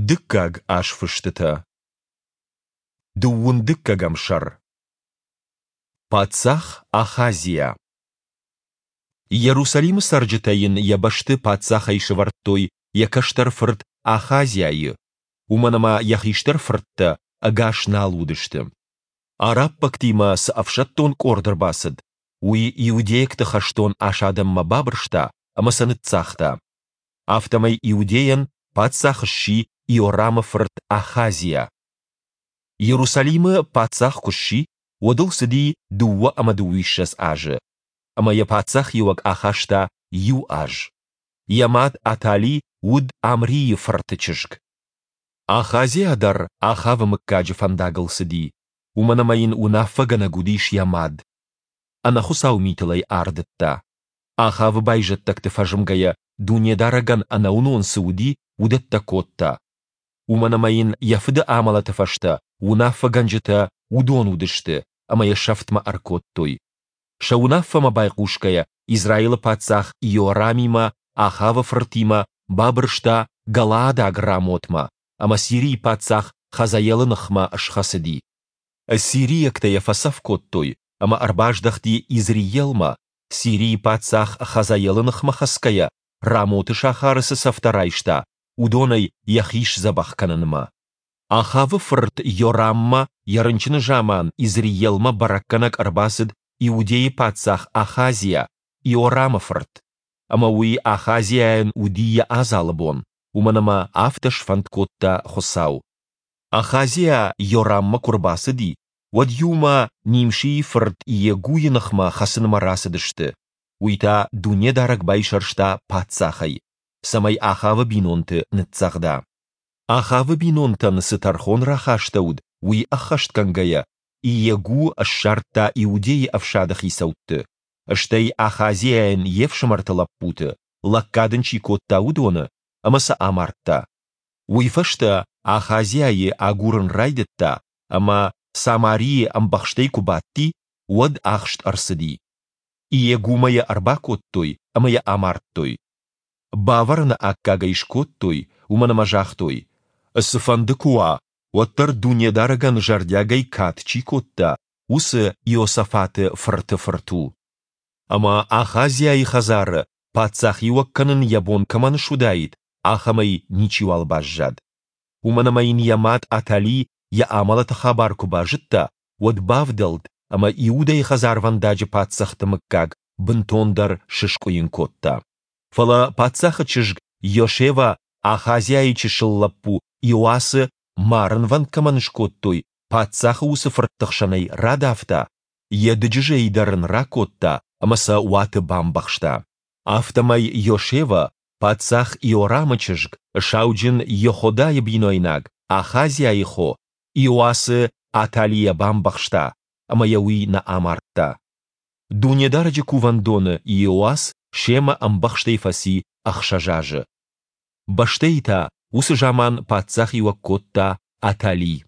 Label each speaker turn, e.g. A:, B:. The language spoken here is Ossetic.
A: Дыккаг азфыстытӕ. Дыууын дыккӕгӕм сӕр. Паддзах Ахазиа. Иерусалимы цӕрджытӕ йын йӕ бӕсты паддзахӕй сӕвӕрдтой йӕ кӕстӕр фырт Ахазиайы, уымӕн ӕмӕ йӕ хистӕр фырттӕ ӕгас нал уыдысты. Араббӕгтимӕ цы ӕфсӕддон къорд ӕрбацыд, уый иудейӕгты хӕстон асадӕнмӕ бабырста ӕмӕ сӕ ныццагъта. Афтӕмӕй Иудейӕн паддзах сси Иорамы фырт Ахазиа. Иерусалимы паддзах куы сси, уӕд ыл цыди 22 азы, ӕмӕ йӕ паддзахиуӕг ахаста иу аз. Йӕ мад Атали уыд Амрийы фырты чызг. Ахазиа дӕр Ахавы мыггаджы фӕндагыл цыди, уымӕн ӕмӕ йын уынаффӕгӕнӕг уыдис йӕ мад. Ӕнӕхуыцау митыл ӕй ардыдта. Ахавы байзӕддӕгты фӕзмгӕйӕ Дунедарӕгӕн ӕнӕуынон цы уыди, уыдӕттӕ кодта. Уымӕн ӕмӕ йын йӕ фыды амӕлӕты фӕстӕ уынаффӕгӕнджытӕ уыдон уыдысты ӕмӕ йӕ сӕфтмӕ ӕркодтой. Сӕ уынаффӕмӕ байхъусгӕйӕ Израилы паддзах Иорамимӕ, Ахавы фыртимӕ, бабырста Галаадаг Рамотмӕ ӕмӕ Сирийы паддзах Хазаелы ныхмӕ схӕцыди. Сириӕгтӕ йӕ фӕцӕф кодтой, ӕмӕ ӕрбаздӕхти Изреелмӕ, Сирийы паддзах Хазаелы ныхмӕ хӕцгӕйӕ, Рамоты сахары цы цӕфтӕ райста, уыдонӕй йӕхи сдзӕбӕх кӕнынмӕ. Ахавы фырт Йораммӕ йӕ рынчыны заман Изреелмӕ бӕрӕггӕнӕг ӕрбацыд Иудейы паддзах Ахазиа, Иорамы фырт. Ӕмӕ уый Ахазиайӕн уыди йӕ адзалы бон, уымӕн ӕмӕ афтӕ сфӕнд кодта Хуыцау. Ахазиа Йораммӕ куы рбацыди, уӕд иумӕ Нимшийы фырт Иегуйы ныхмӕ хӕцынмӕ рацыдысты, уый та Дунедарӕг байсӕрста паддзахӕй, цӕмӕй Ахавы бинонты ныццӕгъда. Ахавы бинонтӕн цы тӕрхон рахастӕуыд, уый ӕххӕстгӕнгӕйӕ, Иегу ссардта Иудейы ӕфсады хицӕутты, стӕй Ахазиайӕн йе фсымӕрты лӕппуты, лӕггад ын чи кодта, уыдоны, ӕмӕ сӕ амардта. Уый фӕстӕ Ахазиайы агурын райдыдта, ӕмӕ, Самарийы ӕмбӕхстӕй куы бадти, уӕд ахст ӕрцыди. Иегумӕ йӕ ӕрбакодтой ӕмӕ йӕ амардтой. Бавӕрыны аккаг ӕй скодтой, уымӕн ӕмӕ загътой, Цыфӕнды куы уа, уӕддӕр Дунедарӕгӕн зӕрдиагӕй кад чи кодта, уыцы Иосафаты фырты фырт у. Ӕмӕ Ахазиайы хӕдзары паддзахиуӕг кӕнын йӕ бон кӕмӕн суыдаид, ахӕмӕй ничиуал баззад. Уымӕн ӕмӕ йын йӕ мад Атали йӕ амӕлӕты хабар куы базыдта, уӕд бавдӕлд ӕмӕ Иудӕйы хӕдзарвӕндаджы паддзӕхты мыггаг бынтондӕр сыскъуыйын кодта. Фӕлӕ паддзахы чызг Йошева Ахазиайы чысыл лӕппу Иоасы марынвӕнд кӕмӕн скодтой, паддзахы уыцы фыртты хсӕнӕй радавта, йӕ дыджызӕй дӕр ын ракодта ӕмӕ сӕ уаты бамбӕхста. Афтӕмӕй Йошева, паддзах Иорамы чызг, сауджын Йеходайы бинойнаг, Ахазиайы хо, Иоасы Аталийӕ бамбӕхста, ӕмӕ йӕ уый нӕ амардта. Дунедарӕджы кувӕндоны Иоас семӕ ӕмбӕхстӕй фӕци ӕхсӕз азы. Бӕстӕйы та уыцы заман паддзахиуӕг кодта Атали.